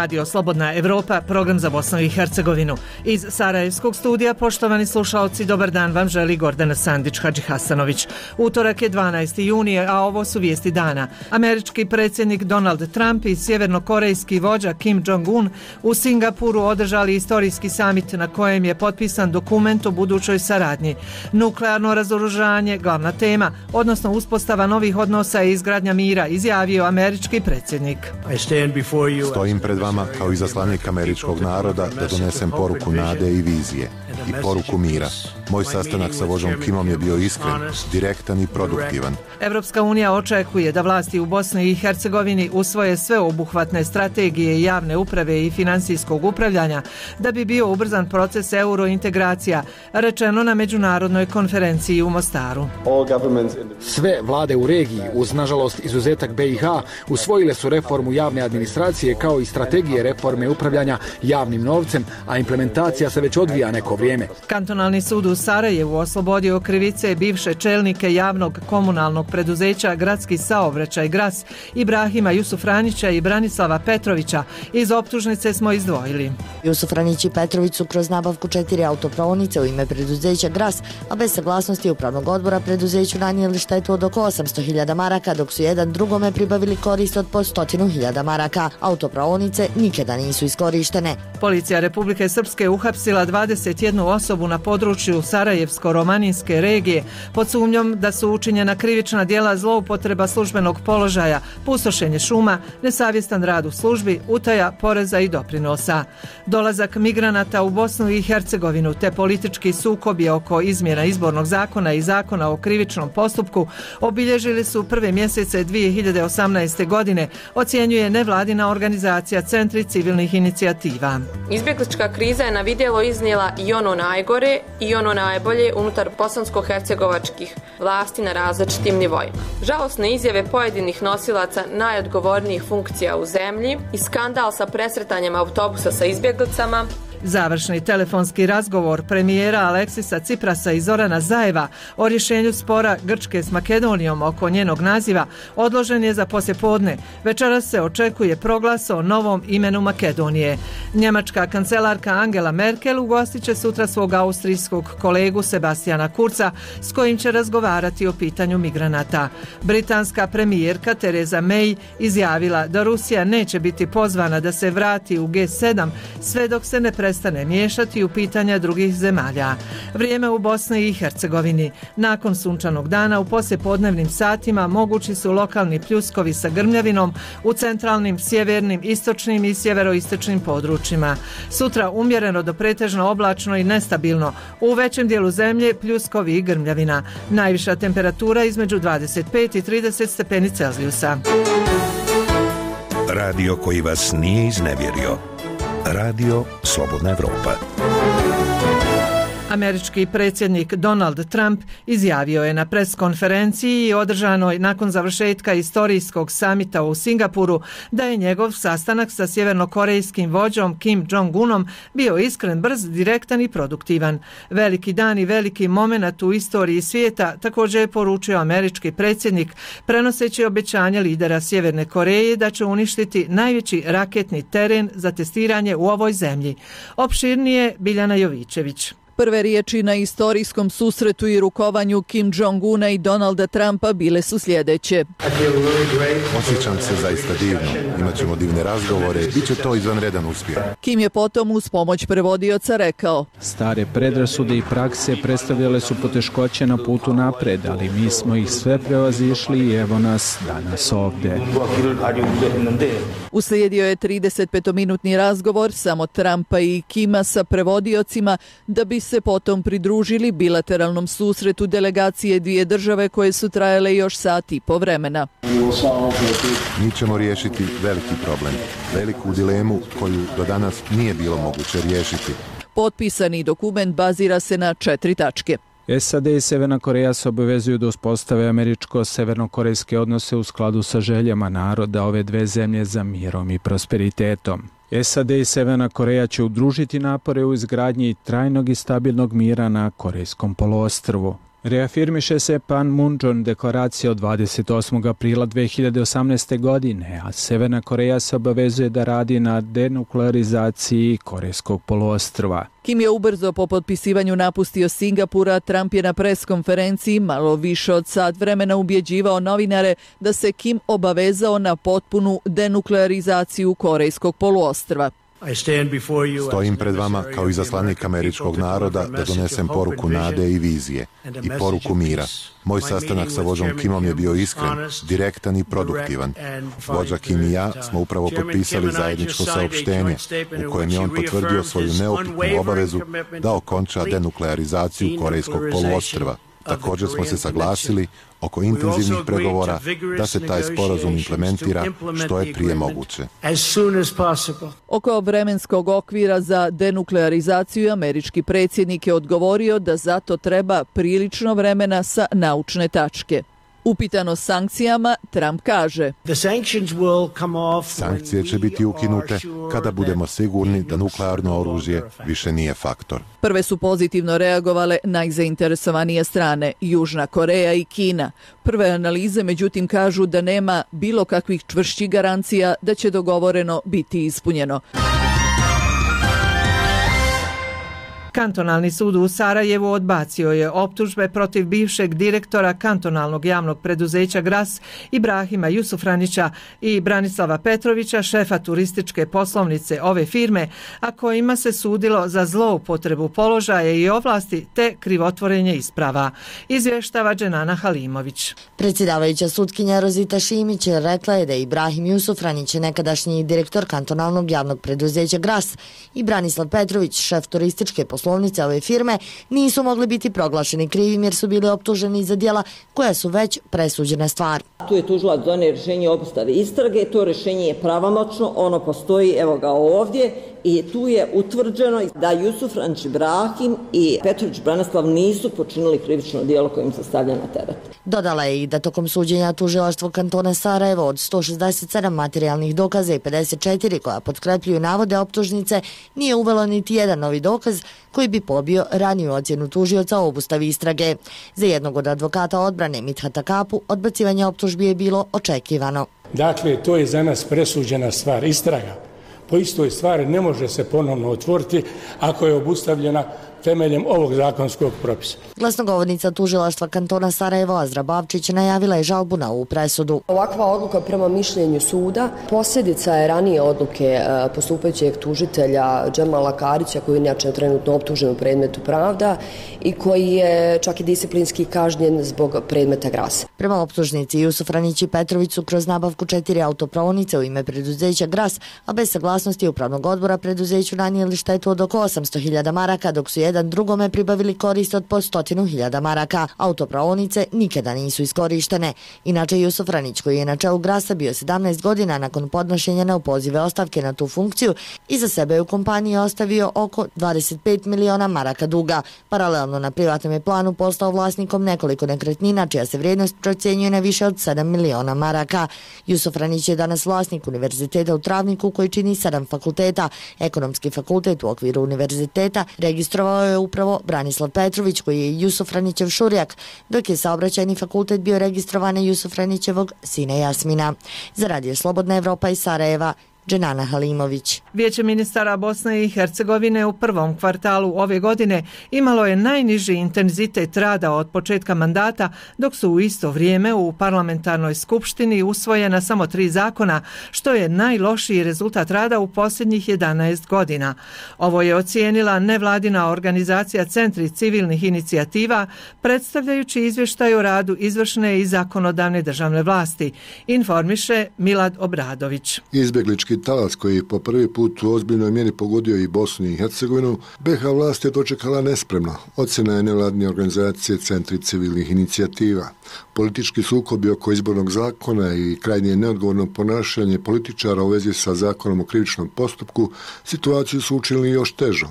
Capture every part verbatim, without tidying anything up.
Radio Slobodna Evropa, program za Bosnu i Hercegovinu. Iz Sarajevskog studija, poštovani slušaoci, dobar dan vam želi Gordana Sandić-Hadžihasanović. Utorak je dvanaesti junije, a ovo su vijesti dana. Američki predsjednik Donald Trump i sjevernokorejski vođa Kim Jong-un u Singapuru održali istorijski samit na kojem je potpisan dokument o budućoj saradnji. Nuklearno razoružanje, glavna tema, odnosno uspostava novih odnosa i izgradnja mira, izjavio američki predsjednik. Stojim pred vama kao izaslanik američkog naroda da donesem poruku nade i vizije i poruku mira. Moj sastanak sa vođom Kimom je bio iskren, direktan i produktivan. Evropska unija očekuje da vlasti u Bosni i Hercegovini usvoje sveobuhvatne strategije javne uprave i financijskog upravljanja da bi bio ubrzan proces eurointegracija, rečeno na međunarodnoj konferenciji u Mostaru. Sve vlade u regiji, uz nažalost izuzetak B i H, usvojile su reformu javne administracije kao i strategije reforme upravljanja javnim novcem, a implementacija se već odvija neko vrijeme. Kantonalni sud u Sarajevu oslobodio krivice bivše čelnike javnog komunalnog preduzeća Gradski saobraćaj Gras, Ibrahima Jusufranića i Branislava Petrovića. Iz optužnice smo izdvojili. Jusufranić i Petrović su kroz nabavku četiri autopraonice u ime preduzeća Gras, a bez saglasnosti upravnog odbora preduzeću nanijeli štetu od oko osamsto hiljada maraka, dok su jedan drugome pribavili korist od po stotinu hiljada maraka. Autopraonice nikada nisu iskorištene. Policija Republike Srpske uhapsila dvadeset jednu osobu na području Sarajevsko-romaninske regije pod sumnjom da su učinjena krivična djela zloupotreba službenog položaja, pustošenje šuma, nesavjestan rad u službi, utaja poreza i doprinosa. Dolazak migranata u Bosnu i Hercegovinu te politički sukobi oko izmjena izbornog zakona i zakona o krivičnom postupku obilježili su prve mjesece dvije hiljade osamnaeste. godine, ocjenjuje nevladina organizacija Centri civilnih inicijativa. Izbjeglička kriza je na vidjelo iznijela i ono najgore i ono najbolje unutar bosansko-hercegovačkih vlasti na različitim nivoima. Žalosne izjave pojedinih nosilaca najodgovornijih funkcija u zemlji i skandal sa presretanjem autobusa sa izbjeglicama. Završni telefonski razgovor premijera Aleksisa Ciprasa i Zorana Zajeva o rješenju spora Grčke s Makedonijom oko njenog naziva odložen je za poslijepodne. Večeras se očekuje proglas o novom imenu Makedonije. Njemačka kancelarka Angela Merkel ugostit će sutra svog austrijskog kolegu Sebastiana Kurza s kojim će razgovarati o pitanju migranata. Britanska premijerka Theresa May izjavila da Rusija neće biti pozvana da se vrati u G sedam sve dok se ne prestane miješati u pitanja drugih zemalja. Vrijeme u Bosni i Hercegovini. Nakon sunčanog dana u poslijepodnevnim satima mogući su lokalni pljuskovi sa grmljavinom u centralnim, sjevernim, istočnim i sjeveroistočnim područjima. Sutra umjereno do pretežno oblačno i nestabilno. U većem dijelu zemlje pljuskovi i grmljavina. Najviša temperatura između dvadeset pet i trideset stepeni Celzijusa. Radio koji vas nije iznevjerio. Radio Slobodna Evropa. Američki predsjednik Donald Trump izjavio je na preskonferenciji održanoj nakon završetka istorijskog samita u Singapuru da je njegov sastanak sa sjevernokorejskim vođom Kim Jong-unom bio iskren, brz, direktan i produktivan. Veliki dan i veliki moment u istoriji svijeta, također je poručio američki predsjednik prenoseći obećanje lidera Sjeverne Koreje da će uništiti najveći raketni teren za testiranje u ovoj zemlji. Opširnije Biljana Jovićević. Prve riječi na istorijskom susretu i rukovanju Kim Jong-una i Donalda Trumpa bile su sljedeće. Osjećam se zaista divno. Imaćemo divne razgovore. Biće to izvanredan uspjeh. Kim je potom uz pomoć prevodioca rekao: Stare predrasude i prakse predstavljale su poteškoće na putu napred, ali mi smo ih sve prevazišli i evo nas danas ovdje. Uslijedio je tridesetpetominutni razgovor samo Trumpa i Kima sa prevodiocima da bi se potom pridružili bilateralnom susretu delegacije dvije države koje su trajale još sat i po vremena. Mi ćemo riješiti veliki problem, veliku dilemu koju do danas nije bilo moguće riješiti. Potpisani dokument bazira se na četiri tačke. S A D i Sjeverna Koreja se obavezuju da uspostave američko-severnokorejske odnose u skladu sa željama naroda ove dve zemlje za mirom i prosperitetom. S A D i Sjeverna Koreja će udružiti napore u izgradnji trajnog i stabilnog mira na Korejskom poluostrvu. Reafirmiše se Panmunjom deklaracija od dvadeset osmog aprila dve hiljade osamnaeste. godine, a Severna Koreja se obavezuje da radi na denuklearizaciji Korejskog poluostrva. Kim je ubrzo po potpisivanju napustio Singapura, Trump je na pres konferenciji malo više od sat vremena ubjeđivao novinare da se Kim obavezao na potpunu denuklearizaciju Korejskog poluostrva. Stojim pred vama kao izaslanik američkog naroda da donesem poruku nade i vizije i poruku mira. Moj sastanak sa vođom Kimom je bio iskren, direktan i produktivan. Vođa Kim i ja smo upravo potpisali zajedničko saopštenje u kojem je on potvrdio svoju neupitnu obavezu da okonča denuklearizaciju Korejskog poluostrva. Također smo se saglasili oko intenzivnih pregovora da se taj sporazum implementira što je prije moguće. Oko vremenskog okvira za denuklearizaciju američki predsjednik je odgovorio da zato treba prilično vremena sa naučne tačke. Upitano sankcijama, Trump kaže: Sankcije će biti ukinute kada budemo sigurni da nuklearno oružje više nije faktor. Prve su pozitivno reagovale najzainteresovanije strane, Južna Koreja i Kina. Prve analize međutim kažu da nema bilo kakvih čvršćih garancija da će dogovoreno biti ispunjeno. Kantonalni sud u Sarajevu odbacio je optužbe protiv bivšeg direktora kantonalnog javnog preduzeća Gras Ibrahima Jusufranića i Branislava Petrovića, šefa turističke poslovnice ove firme, a kojima se sudilo za zloupotrebu položaja i ovlasti te krivotvorenje isprava. Izvještava Dženana Halimović. Predsjedavajuća sutkinja Rozita Šimić rekla je da Ibrahim Jusufranić, nekadašnji direktor kantonalnog javnog preduzeća Gras, i Branislav Petrović, šef turističke poslovnice ove firme, nisu mogli biti proglašeni krivim jer su bili optuženi za djela koja su već presuđena stvar. Tu je tužilac donio rješenje o obustavi istrage, to rješenje je pravomoćno, ono postoji, evo ga ovdje, i tu je utvrđeno da Jusufranić Ibrahim i Petrović Branislav nisu počinili krivično djelo kojim se stavlja na teret. Dodala je i da tokom suđenja tužilaštvo kantona Sarajevo od sto šezdeset sedam materijalnih dokaza i pedeset četiri koja potkrepljuju navode optužnice nije uvelo niti jedan novi dokaz koji bi pobio raniju ocjenu tužioca o obustavi istrage. Za jednog od advokata odbrane Mithata Kapu odbacivanje optužbi je bilo očekivano. Dakle, to je za nas presuđena stvar. Istraga po istoj stvari ne može se ponovno otvoriti ako je obustavljena temeljem ovog zakonskog propisa. Glasnogovornica tužilaštva kantona Sarajevo Azra Bavčić najavila je žalbu na ovu presudu. Ovakva odluka prema mišljenju suda posljedica je ranije odluke postupajućeg tužitelja Džemala Karića, koji je inače trenutno optužen u predmetu Pravda i koji je čak i disciplinski kažnjen zbog predmeta Gras. Prema optužnici Jusufranić i Petrović su kroz nabavku četiri autopraonice u ime preduzeća Gras, a bez saglasnosti upravnog odbora preduzeću nanijeli štetu od oko osamsto hiljada maraka, dok su jedan drugome pribavili korist od po stotinu hiljada maraka. Autopraonice nikada nisu iskorištene. Inače, Jusufranić, koji je na čelu Grasa bio sedamnaest godina nakon podnošenja neopozive ostavke na tu funkciju, iza sebe u kompaniji ostavio oko dvadeset pet miliona maraka duga. Paralelno na privatnom je planu postao vlasnikom nekoliko nekretnina, čija se vrijednost procjenjuje na više od sedam miliona maraka. Jusufranić je danas vlasnik univerziteta u Travniku, koji čini sedam fakulteta. Ekonomski fakultet u okviru univerziteta registrovao je upravo Branislav Petrović, koji je Jusufranićev šurijak, dok je saobraćajni fakultet bio registrovan Jusufranićevog sina Jasmina. Za Radio Slobodna Evropa iz Sarajeva, Dženana Halimović. Vijeće ministara Bosne i Hercegovine u prvom kvartalu ove godine imalo je najniži intenzitet rada od početka mandata, dok su u isto vrijeme u parlamentarnoj skupštini usvojena samo tri zakona, što je najlošiji rezultat rada u posljednjih jedanaest godina. Ovo je ocijenila nevladina organizacija Centri civilnih inicijativa, predstavljajući izvještaj o radu izvršne i zakonodavne državne vlasti, informiše Milad Obradović. Izbjeglički talas koji je po prvi put u ozbiljnoj mjeri pogodio i Bosnu i Hercegovinu, be ha vlast je dočekala nespremno. Ocjena je nevladine organizacije Centri civilnih inicijativa. Politički sukobi oko izbornog zakona i krajnje neodgovorno ponašanje političara u vezi sa zakonom o krivičnom postupku situaciju su učinili još težom.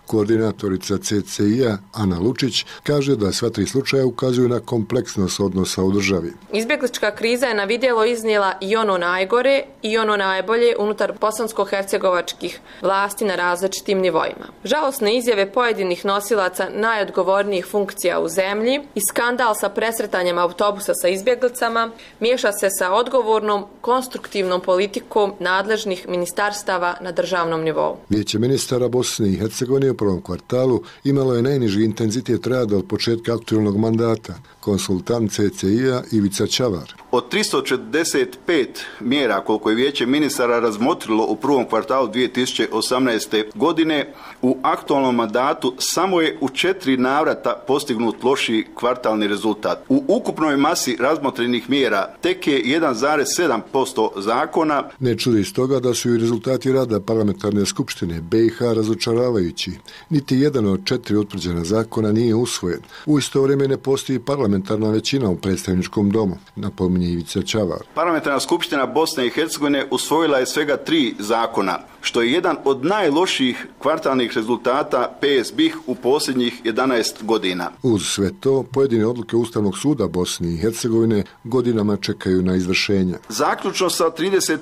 Koordinatorica C C I-a Ana Lučić kaže da sva tri slučaja ukazuju na kompleksnost odnosa u državi. Izbjeglička kriza je na vidjelo iznijela i ono najgore i ono najbolje unutar bosansko-hercegovačkih vlasti na različitim nivoima. Žalosne izjave pojedinih nosilaca najodgovornijih funkcija u zemlji i skandal sa presretanjem autobusa sa izbjeglicama miješa se sa odgovornom, konstruktivnom politikom nadležnih ministarstava na državnom nivou. Vijeće ministara Bosne i Hercegovine u prvom kvartalu imalo je najniži intenzitet rada od početka aktualnog mandata. Konsultant C C I-a Ivica Čavar. Od tristo četrdeset pet mjera koliko je Vijeće ministara razmotrilo u prvom kvartalu dvije tisuće osamnaeste. godine, u aktualnom mandatu samo je u četiri navrata postignut lošiji kvartalni rezultat. U ukupnoj masi razmotrenih mjera tek je jedan zarez sedam posto zakona. Ne čudi stoga da su i rezultati rada parlamentarne skupštine B i H razočaravajući. Niti jedan od četiri utvrđena zakona nije usvojen. U isto vrijeme ne postoji parlamentarna većina u predstavničkom domu, napominje Ivica Čavar. Parlamentarna skupština Bosne i Hercegovine usvojila je svega tri zakona, što je jedan od najlošijih kvartalnih rezultata P S B I H u posljednjih jedanaest godina. Uz sve to, pojedine odluke Ustavnog suda Bosne i Hercegovine godinama čekaju na izvršenje. Zaključno sa trideset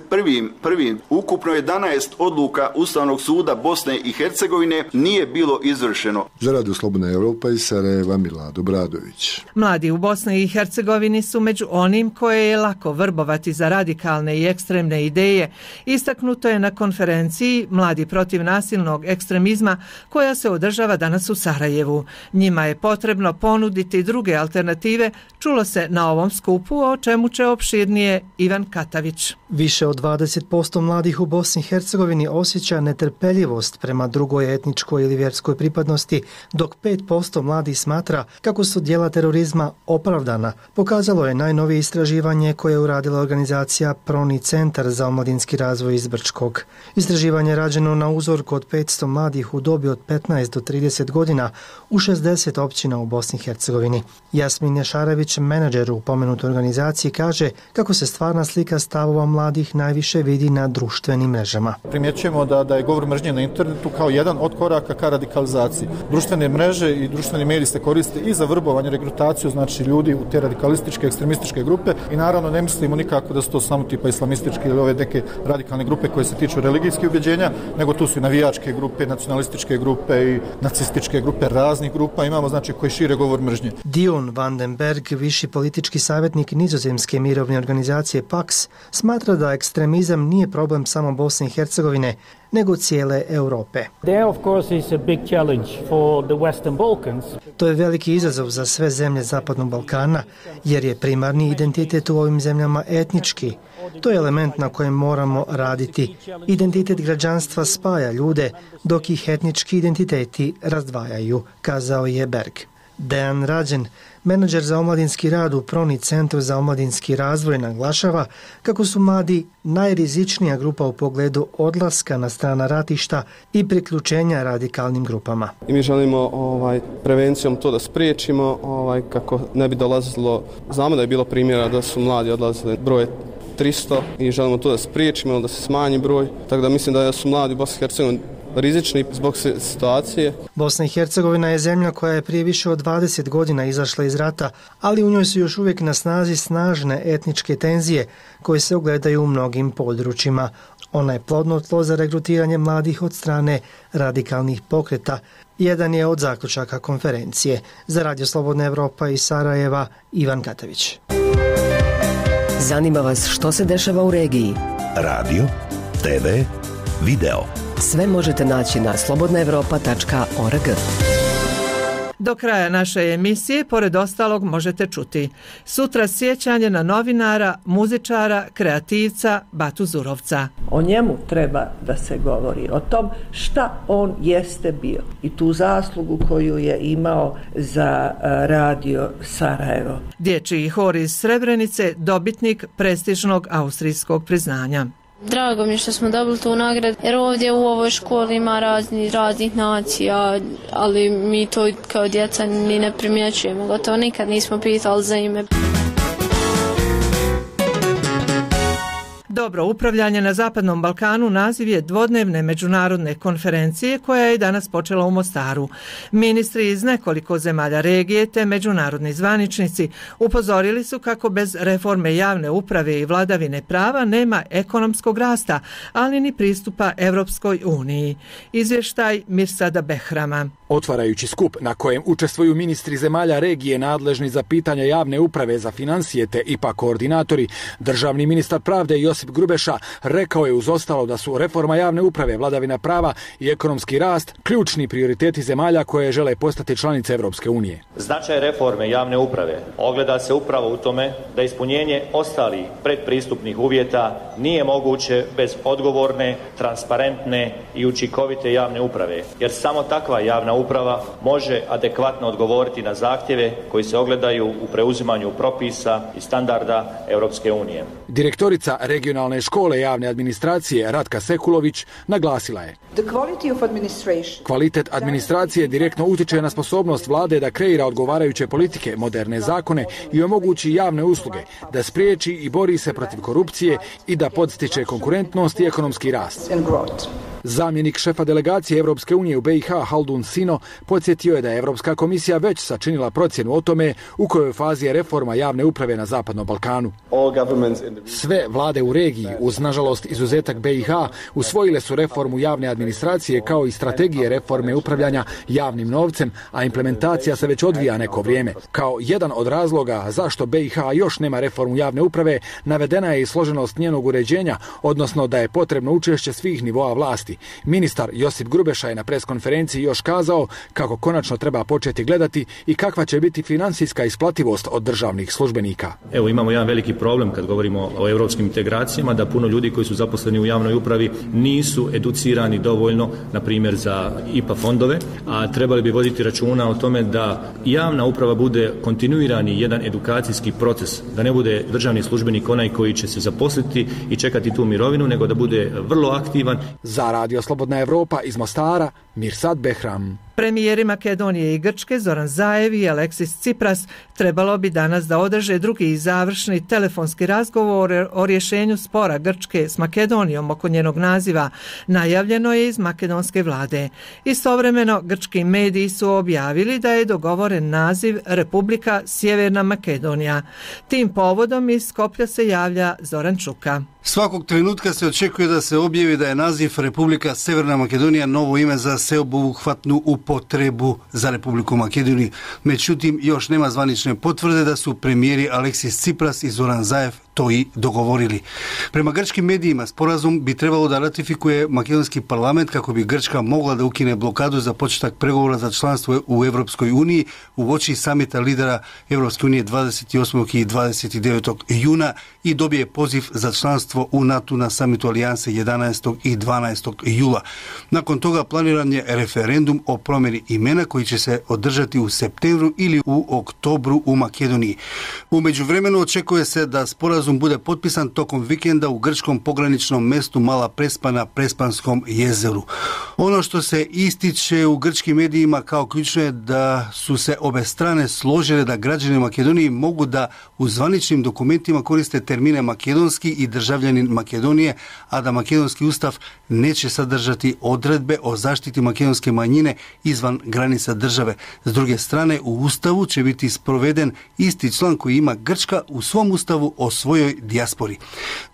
prvim ukupno jedanaest odluka Ustavnog suda Bosne i Hercegovine nije bilo izvršeno. Za Radio Slobodna Evropa iz Sarajeva Milad Obradović. Mladi u Bosni i Hercegovini su među onim koje je lako vrbovati za radikalne i ekstremne ideje. Istaknuto je na konferenciji Mladi protiv nasilnog ekstremizma koja se održava danas u Sarajevu. Njima je potrebno ponuditi druge alternative, čulo se na ovom skupu, o čemu će opširnije Ivan Katavić. Više od dvadeset posto mladih u Bosni i Hercegovini osjeća netrpeljivost prema drugoj etničkoj ili vjerskoj pripadnosti, dok pet posto mladih smatra kako su djela terorizma opravdana, pokazalo je najnovije istraživanje koje je uradila organizacija Proni centar za omladinski razvoj iz Brčkog. Istraživanje je rađeno na uzorku od petsto mladih u dobi od petnaest do trideset godina u šezdeset općina u Bosni i Hercegovini. Jasmin Ješarević, menadžer u pomenutoj organizaciji, kaže kako se stvarna slika stavova mladih najviše vidi na društvenim mrežama. Primjećujemo da, da je govor mržnje na internetu kao jedan od koraka ka radikalizaciji. Društvene mreže i društveni mediji se koriste i za vrbovanje, regrutaciju, znači ljudi u te radikalističke, ekstremističke grupe, i naravno ne mislimo nikako da su to samo tipa islamističke ili ove neke radikalne grupe koje se tiču religijskih ubjeđenja, nego tu su i navijačke grupe, nacionalističke grupe i nacističke grupe, raznih grupa imamo, znači koji šire govor mržnje. Dion van den Berg, viši politički savjetnik nizozemske mirovne organizacije Pax, smatra da ekstremizam nije problem samo Bosne i Hercegovine, nego cijele Europe. To je veliki izazov za sve zemlje Zapadnog Balkana, jer je primarni identitet u ovim zemljama etnički. To je element na kojem moramo raditi. Identitet građanstva spaja ljude, dok ih etnički identiteti razdvajaju, kazao je Berg. Dejan Rađen, menadžer za omladinski rad u Proni centru za omladinski razvoj, naglašava kako su mladi najrizičnija grupa u pogledu odlaska na strana ratišta i priključenja radikalnim grupama. I mi želimo ovaj, prevencijom to da spriječimo, ovaj, kako ne bi dolazilo, znamo da je bilo primjera da su mladi odlazili broj tristo i želimo to da spriječimo, da se smanji broj, tako da mislim da su mladi u Bosni i Hercegovini rizični zbog situacije. Bosna i Hercegovina je zemlja koja je prije više od dvadeset godina izašla iz rata, ali u njoj su još uvijek na snazi snažne etničke tenzije koje se ogledaju u mnogim područjima. Ona je plodno tlo za regrutiranje mladih od strane radikalnih pokreta. Jedan je od zaključaka konferencije. Za Radio Slobodna Evropa iz Sarajeva, Ivan Katavić. Zanima vas što se dešava u regiji? Radio, te ve, video. Sve možete naći na slobodna evropa tačka org. Do kraja naše emisije, pored ostalog, možete čuti sutra sjećanje na novinara, muzičara, kreativca Batu Zurovca. O njemu treba da se govori, o tom šta on jeste bio i tu zaslugu koju je imao za radio Sarajevo. Dječji hor iz Srebrenice, dobitnik prestižnog austrijskog priznanja. Drago mi je što smo dobili tu nagradu, jer ovdje u ovoj školi ima razni, raznih nacija, ali mi to kao djeca ni ne primjećujemo, gotovo nikad nismo pitali za ime. Dobro upravljanje na Zapadnom Balkanu naziv je dvodnevne međunarodne konferencije koja je danas počela u Mostaru. Ministri iz nekoliko zemalja regije te međunarodni zvaničnici upozorili su kako bez reforme javne uprave i vladavine prava nema ekonomskog rasta, ali ni pristupa Evropskoj uniji. Izvještaj Mirsada Behrama. Otvarajući skup na kojem učestvuju ministri zemalja regije nadležni za pitanja javne uprave, za financije te I P A koordinatori, državni ministar pravde Josip Grubeša rekao je uz ostalo da su reforma javne uprave, vladavina prava i ekonomski rast ključni prioriteti zemalja koje žele postati članice Evropske unije. Značaj reforme javne uprave ogleda se upravo u tome da ispunjenje ostalih predpristupnih uvjeta nije moguće bez odgovorne, transparentne i učinkovite javne uprave, jer samo takva javna uprava može adekvatno odgovoriti na zahtjeve koji se ogledaju u preuzimanju propisa i standarda Europske unije. Direktorica regionalne škole javne administracije Ratka Sekulović naglasila je: kvalitet administracije direktno utiče na sposobnost vlade da kreira odgovarajuće politike, moderne zakone i omogući javne usluge, da spriječi i bori se protiv korupcije i da podstiče konkurentnost i ekonomski rast. Zamjenik šefa delegacije Evropske unije u B i H Haldun Sino podsjetio je da je Evropska komisija već sačinila procjenu o tome u kojoj fazi je reforma javne uprave na Zapadnom Balkanu. Sve vlade u regiji, uz nažalost izuzetak B i H, usvojile su reformu javne administracije kao i strategije reforme upravljanja javnim novcem, a implementacija se već odvija neko vrijeme. Kao jedan od razloga zašto B i H još nema reformu javne uprave, navedena je i složenost njenog uređenja, odnosno da je potrebno učešće svih nivoa vlasti. Ministar Josip Grubeša je na preskonferenciji još kazao kako konačno treba početi gledati i kakva će biti financijska isplativost od državnih službenika. Evo, imamo jedan veliki problem kad govorimo o europskim integracijama, da puno ljudi koji su zaposleni u javnoj upravi nisu educirani dovoljno, na primjer za I P A fondove, a trebali bi voditi računa o tome da javna uprava bude kontinuirani jedan edukacijski proces, da ne bude državni službenik onaj koji će se zaposliti i čekati tu mirovinu, nego da bude vrlo aktivan. Za Radio Slobodna Evropa iz Mostara, Mirsad Behram. Premijeri Makedonije i Grčke Zoran Zaev i Aleksis Tsipras trebalo bi danas da održe drugi i završni telefonski razgovor o rješenju spora Grčke s Makedonijom oko njenog naziva. Najavljeno je iz makedonske vlade. Istovremeno, grčki mediji su objavili da je dogovoren naziv Republika Sjeverna Makedonija. Tim povodom iz Skoplja se javlja Zoran Čuka. Svakog trenutka se očekuje da se objavi da je naziv Republika Severna Makedonija novo ime za sveobuhvatnu upotrebu za Republiku Makedoniju. Međutim, još nema zvanične potvrde da su premijeri Aleksis Tsipras i Zoran Zaev to i dogovorili. Prema grčkim medijima, sporazum bi trebalo da ratifikuje makedonski parlament kako bi Grčka mogla da ukine blokadu za početak pregovora za članstvo u Evropskoj uniji u oči samita lidera Evropske unije dvadeset osmog i dvadeset devetog juna i dobije poziv za članstvo u NATO na samitu alijanse jedanaestog i dvanaestog jula. Nakon toga planiran je referendum o promjeni imena koji će se održati u septembru ili u oktobru u Makedoniji. U međuvremenu očekuje se da sporazum bude potpisan tokom vikenda u grčkom pograničnom mestu Mala Prespa na Prespanskom jezeru. Ono što se ističe u grčkim medijima kao ključno je da su se obe strane složile da građani Makedonije mogu da u zvaničnim dokumentima koriste termine makedonski i državljanin Makedonije, a da makedonski ustav neće sadržati odredbe o zaštiti makedonske manjine izvan granica države. S druge strane, u ustavu će biti sproveden isti član koji ima Grčka u svom ustavu o svojoj dijaspori.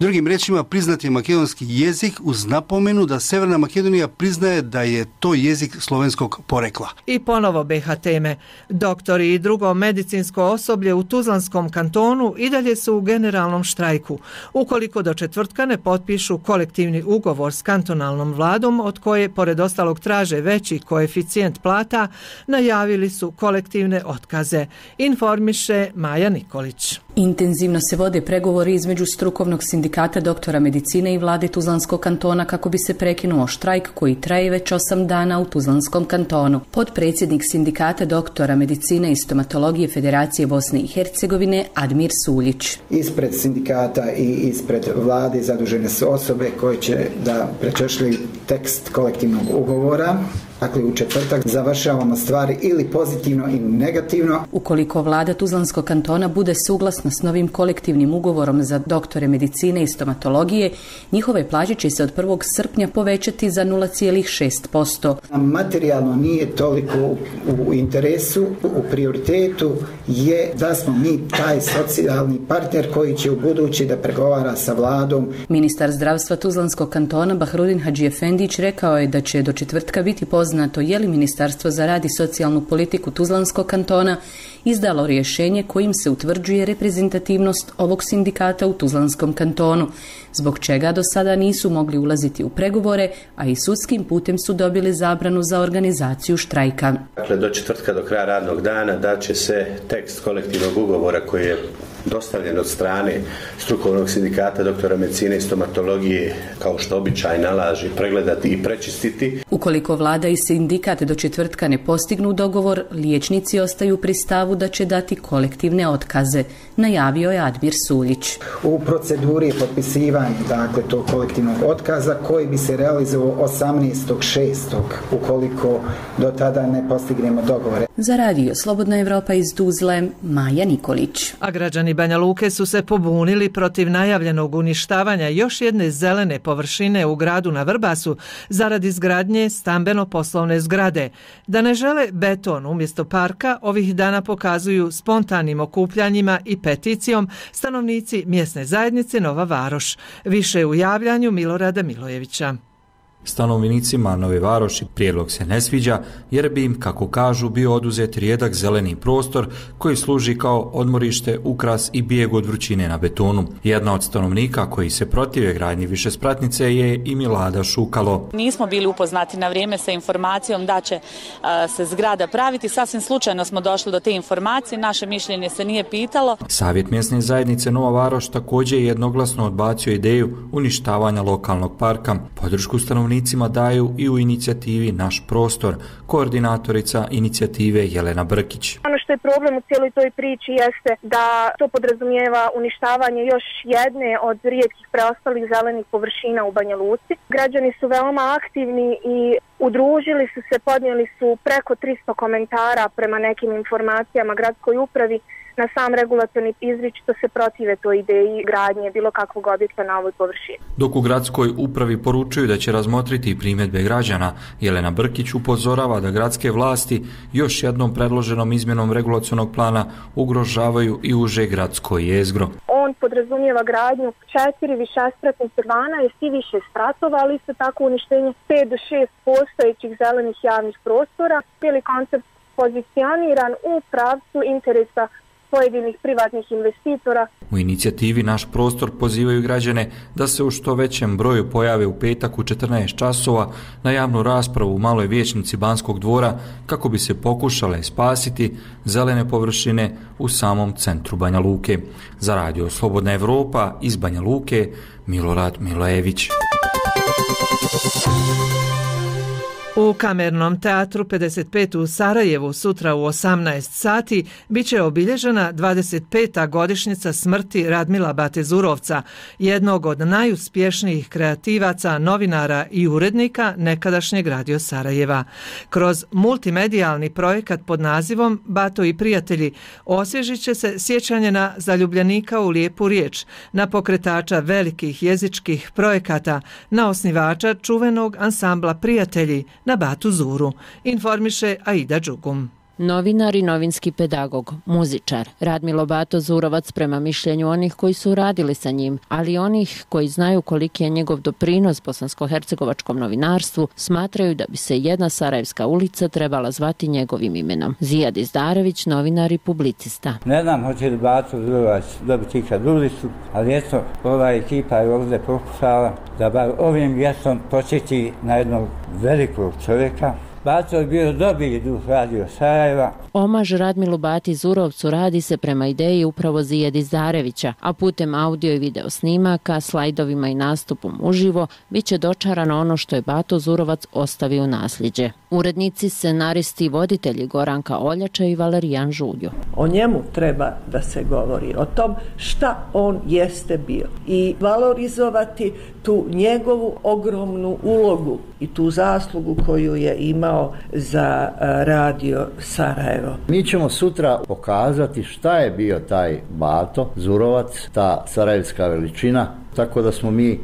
Drugim rečima, priznat je makedonski jezik uz napomenu da Severna Makedonija priznaje da je to jezik slovenskog porekla. I ponovo B H teme. Doktori i drugo medicinsko osoblje u Tuzlanskom kantonu i dalje su u generalnom štrajku. Ukoliko do četvrtka ne potpišu kolektivni ugovor s kantonalnom vladom, od koje pored ostalog traže veći koeficijent plata, najavili su kolektivne otkaze. Informiše Maja Nikolić. Intenzivno se vode pregovori između strukovnog sindikata doktora medicine i vlade Tuzlanskog kantona kako bi se prekinuo štrajk koji traje već osam dana u Tuzlanskom kantonu. Podpredsjednik sindikata doktora medicine i stomatologije Federacije Bosne i Hercegovine Admir Suljić. Ispred sindikata i ispred vlade zadužene su osobe koje će da prečešljaju tekst kolektivnog ugovora Dakle, u četvrtak završavamo stvari ili pozitivno ili negativno. Ukoliko vlada Tuzlanskog kantona bude suglasna s novim kolektivnim ugovorom za doktore medicine i stomatologije, njihove plaće će se od prvog srpnja povećati za nula zarez šest posto. Materijalno nije toliko u, u interesu, u prioritetu je da smo mi taj socijalni partner koji će u budući da pregovara sa vladom. Ministar zdravstva Tuzlanskog kantona Bahrudin Hadžiefendić rekao je da će do četvrtka biti poznato je li Ministarstvo za rad i socijalnu politiku Tuzlanskog kantona izdalo rješenje kojim se utvrđuje reprezentativnost ovog sindikata u Tuzlanskom kantonu, zbog čega do sada nisu mogli ulaziti u pregovore, a i sudskim putem su dobili zabranu za organizaciju štrajka. Dakle, do četvrtka, do kraja radnog dana, da će se tekst kolektivnog ugovora koji je dostavljen od strane strukovnog sindikata doktora medicine i stomatologije, kao što običaj nalaže, pregledati i prečistiti. Ukoliko vlada i sindikat do četvrtka ne postignu dogovor, liječnici ostaju pri stavu da će dati kolektivne otkaze, najavio je Admir Suljić. U proceduri je potpisivanje dakle tog kolektivnog otkaza koji bi se realizovao osamnaestog šestog ukoliko do tada ne postignemo dogovore. Za radio Slobodna Evropa iz Tuzle, Maja Nikolić. A građani Banja Luke su se pobunili protiv najavljenog uništavanja još jedne zelene površine u gradu na Vrbasu zaradi izgradnje stambeno-poslovne zgrade. Da ne žele beton umjesto parka, ovih dana pokazuju spontanim okupljanjima i peticijom stanovnici mjesne zajednice Nova Varoš. Više u javljanju Milorada Milojevića. Stanovnicima Nove Varoši prijedlog se ne sviđa jer bi im, kako kažu, bio oduzet rijedak zeleni prostor koji služi kao odmorište, ukras i bijeg od vrućine na betonu. Jedna od stanovnika koji se protive gradnji višespratnice je i Milada Šukalo. Nismo bili upoznati na vrijeme sa informacijom da će a, se zgrada praviti. Sasvim slučajno smo došli do te informacije, naše mišljenje se nije pitalo. Savjet mjesne zajednice Nova Varoš također je jednoglasno odbacio ideju uništavanja lokalnog parka. Podršku stanovnika daju i u inicijativi Naš prostor, koordinatorica inicijative Jelena Brkić. Ono što je problem u cijeloj toj priči jeste da to podrazumijeva uništavanje još jedne od rijetkih preostalih zelenih površina u Banja Luci. Građani su veoma aktivni i udružili su se, podnijeli su preko tristo komentara prema nekim informacijama gradskoj upravi na sam regulatorni izričito se protive toj ideji gradnje bilo kakvog objekta na ovoj površini. Dok u gradskoj upravi poručuju da će razmotriti primjedbe građana, Jelena Brkić upozorava da gradske vlasti još jednom predloženom izmjenom regulacionog plana ugrožavaju i uže gradsko jezgro. On podrazumijeva gradnju četiri višespratnih dvanaest i više spratova, ali isto tako uništenje pet do šest postojećih zelenih javnih prostora. Cijeli koncept pozicioniran u pravcu interesa pojedinih privatnih investitora. U inicijativi Naš prostor pozivaju građane da se u što većem broju pojave u petak u četrnaest časova na javnu raspravu u maloj vijećnici Banskog dvora kako bi se pokušale spasiti zelene površine u samom centru Banja Luke. Za radio Slobodna Evropa iz Banja Luke, Milorad Milojević. U Kamernom teatru pedeset pet u Sarajevu sutra u osamnaest sati biće obilježena dvadeset peta godišnjica smrti Radmila Bate Zurovca, jednog od najuspješnijih kreativaca, novinara i urednika nekadašnjeg Radio Sarajeva. Kroz multimedijalni projekat pod nazivom Bato i prijatelji osvježit će se sjećanje na zaljubljenika u lijepu riječ, na pokretača velikih jezičkih projekata, na osnivača čuvenog ansambla Prijatelji, na Batu Zuru, informiše Aida Đugum. Novinar i novinski pedagog, muzičar, Radmilo Bato Zurovac prema mišljenju onih koji su radili sa njim, ali onih koji znaju koliki je njegov doprinos bosansko-hercegovačkom novinarstvu, smatraju da bi se jedna sarajevska ulica trebala zvati njegovim imenom. Zijad Izdarević, novinar i publicista. Ne znam hoće li Bato Zurovac dobiti ikad ulicu, ali eto, ova ekipa je ovdje pokušala da bar ovim mjestom posjeti na jednog velikog čovjeka. Bato je bio dobri duh Radio Sarajeva. Omaž Radmilu Bati Zurovcu radi se prema ideji upravo Zijeda Izdarevića, a putem audio i video snimaka, slajdovima i nastupom uživo bit će dočarano ono što je Bato Zurovac ostavio u nasljeđe. Urednici, scenaristi i voditelji Goranka Oljača i Valerijan Žuljo. O njemu treba da se govori, o tom šta on jeste bio i valorizovati tu njegovu ogromnu ulogu i tu zaslugu koju je imao imao za radio Sarajevo. Mi ćemo sutra pokazati šta je bio taj Bato Zurovac, ta sarajevska veličina, tako da smo mi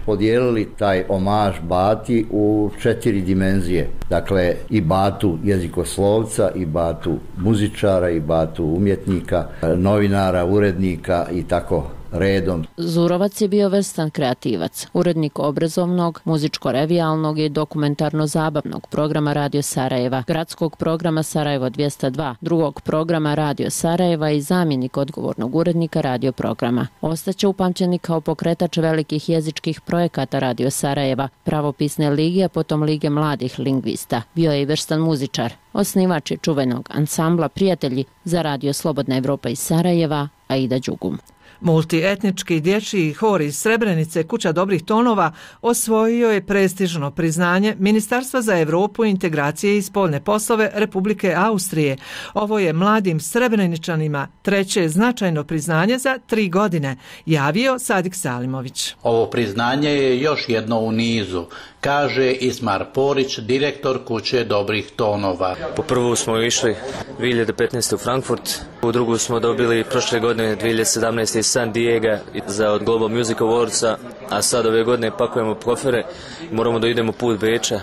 podijelili taj omaž Bati u četiri dimenzije. Dakle, i Batu jezikoslovca, i Batu muzičara, i Batu umjetnika, novinara, urednika i tako redom. Zurovac je bio vrstan kreativac, urednik obrazovnog, muzičko-revijalnog i dokumentarno-zabavnog programa Radio Sarajeva, gradskog programa Sarajevo dvjesto dva, drugog programa Radio Sarajeva i zamjenik odgovornog urednika radio programa. Ostaće upamćeni kao pokretač velikih jezičkih projekata Radio Sarajeva, pravopisne lige, a potom Lige mladih lingvista. Bio je i vrstan muzičar, osnivač je čuvenog ansambla Prijatelji za Radio Slobodna Evropa iz Sarajeva, Aida Đugum. Multietnički dječji hor iz Srebrenice Kuća dobrih tonova osvojio je prestižno priznanje Ministarstva za Europu, integracije i spoljne poslove Republike Austrije. Ovo je mladim Srebreničanima treće značajno priznanje za tri godine, javio Sadik Salimović. Ovo priznanje je još jedno u nizu, kaže Ismar Porić, direktor Kuće dobrih tonova. Po prvu smo išli dvije hiljade petnaeste. u Frankfurt, u drugu smo dobili prošle godine dvije hiljade sedamnaeste. iz San Diego za od Global Music Awardsa, a sad ove godine pakujemo kofere i moramo da idemo put Beča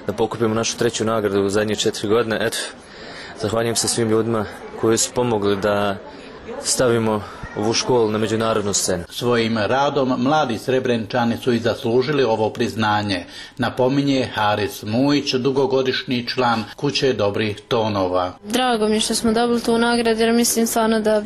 da pokupimo našu treću nagradu u zadnje četiri godine. Eto, zahvaljujem se svim ljudima koji su pomogli da stavimo ovu školu na međunarodnu scenu. Svojim radom mladi Srebreničani su i zaslužili ovo priznanje, napominje Haris Mujić, dugogodišnji član Kuće dobrih tonova. Drago mi je što smo dobili tu nagradu jer mislim stvarno da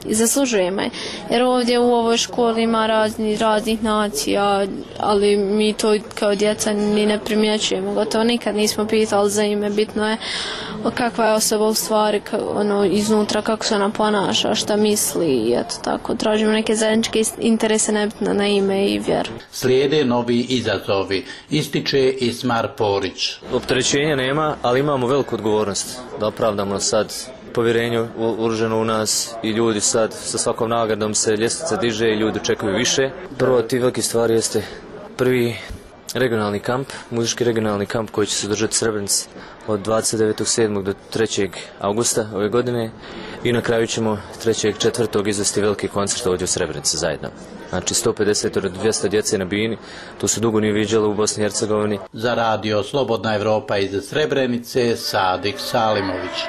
i zaslužujemo. Jer ovdje u ovoj školi ima razni, raznih nacija, ali mi to kao djeca ni ne primjećujemo. Gotovo nikad nismo pitali za ime. Bitno je kakva je osoba u stvari, ono, iznutra, kako se ona ponaša, šta misli i eto tako. Tražimo neke zajedničke interese, nebitno na ime i vjeru. Slijede novi izazovi, ističe Ismar Porić. Opterećenja nema, ali imamo veliku odgovornost da opravdamo sad povjerenju uloženo u nas i ljudi sad sa svakom nagradom se ljestvica diže i ljudi očekuju više. Prvo od tih velikih stvari jeste prvi regionalni kamp, muzički regionalni kamp koji će se održati u Srebrenici od dvadeset devetog sedmog do trećeg augusta ove godine i na kraju ćemo trećeg četvrtog izvesti veliki koncert ovdje u Srebrenici zajedno. Znači sto pedeset do dvjesto djece na bini, to se dugo nije viđalo u Bosni i Hercegovini. Za radio Slobodna Evropa iz Srebrenice, Sadik Salimović.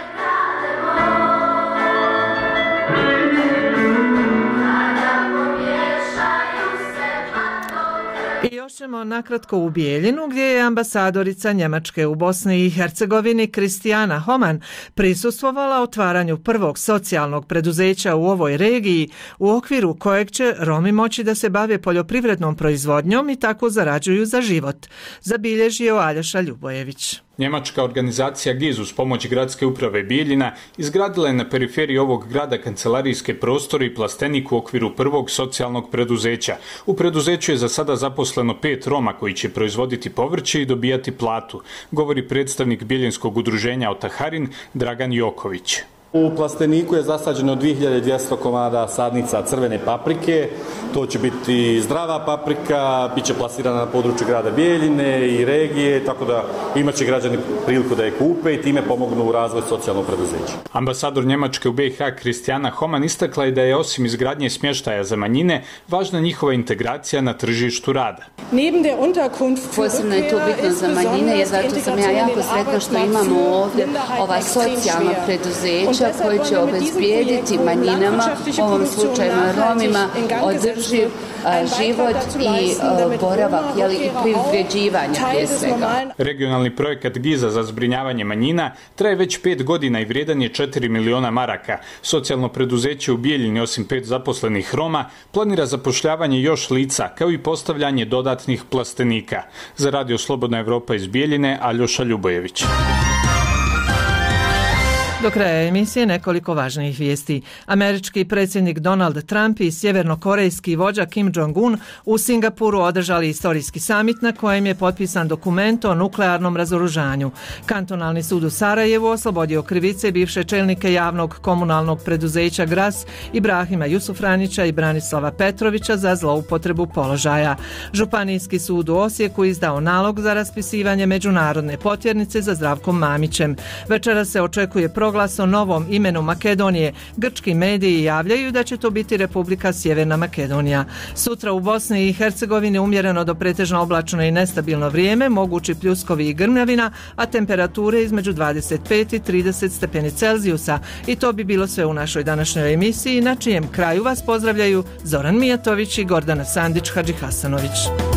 I još ćemo nakratko u Bijeljinu gdje je ambasadorica Njemačke u Bosni i Hercegovini Kristijana Homan prisustvovala otvaranju prvog socijalnog preduzeća u ovoj regiji u okviru kojeg će Romi moći da se bave poljoprivrednom proizvodnjom i tako zarađuju za život, zabilježio Aljoša Ljubojević. Njemačka organizacija G I Z uz pomoć gradske uprave Bijeljina izgradila je na periferiji ovog grada kancelarijske prostore i plastenik u okviru prvog socijalnog preduzeća. U preduzeću je za sada zaposleno pet Roma koji će proizvoditi povrće i dobijati platu, govori predstavnik Bijeljinskog udruženja Otaharin Dragan Joković. U plasteniku je zasađeno dvije hiljade dvjesto komada sadnica crvene paprike, to će biti zdrava paprika, bit će plasirana na području grada Bijeljine i regije, tako da imat će građani priliku da je kupe i time pomognu u razvoj socijalnog preduzeća. Ambasador Njemačke u B i H Kristijana Homan istakla je da je osim izgradnje smještaja za manjine, važna njihova integracija na tržištu rada. Posebno je to bitno za manjine, jer zato sam ja jako sretna što imamo ovdje ova socijalna preduzeća koji će obezbijediti manjinama, u ovom slučaju Romima, održiv život i boravak, jeli, i privređivanje prije svega. Regionalni projekat G I Z-a za zbrinjavanje manjina traje već pet godina i vrijedan je četiri miliona maraka. Socijalno preduzeće u Bijeljini, osim pet zaposlenih Roma, planira zapošljavanje još lica, kao i postavljanje dodatnih plastenika. Za radio Slobodna Evropa iz Bijeljine, Aljoša Ljubojević. Do kraja emisije nekoliko važnijih vijesti. Američki predsjednik Donald Trump i sjevernokorejski vođa Kim Jong-un u Singapuru održali istorijski samit na kojem je potpisan dokument o nuklearnom razoružanju. Kantonalni sud u Sarajevu oslobodio krivice bivše čelnike javnog komunalnog preduzeća Gras Ibrahima Jusufranića i Branislava Petrovića za zloupotrebu položaja. Županijski sud u Osijeku izdao nalog za raspisivanje međunarodne potjernice za Zdravkom Mamićem. Večera se očekuje proglas o novom imenu Makedonije. Grčki mediji javljaju da će to biti Republika Sjeverna Makedonija. Sutra u Bosni i Hercegovini umjereno do pretežno oblačno i nestabilno vrijeme, mogući pljuskovi i grmljavina, a temperature između dvadeset pet i trideset stepeni Celzijusa. I to bi bilo sve u našoj današnjoj emisiji, na čijem kraju vas pozdravljaju Zoran Mijatović i Gordana Sandić-Hadžihasanović.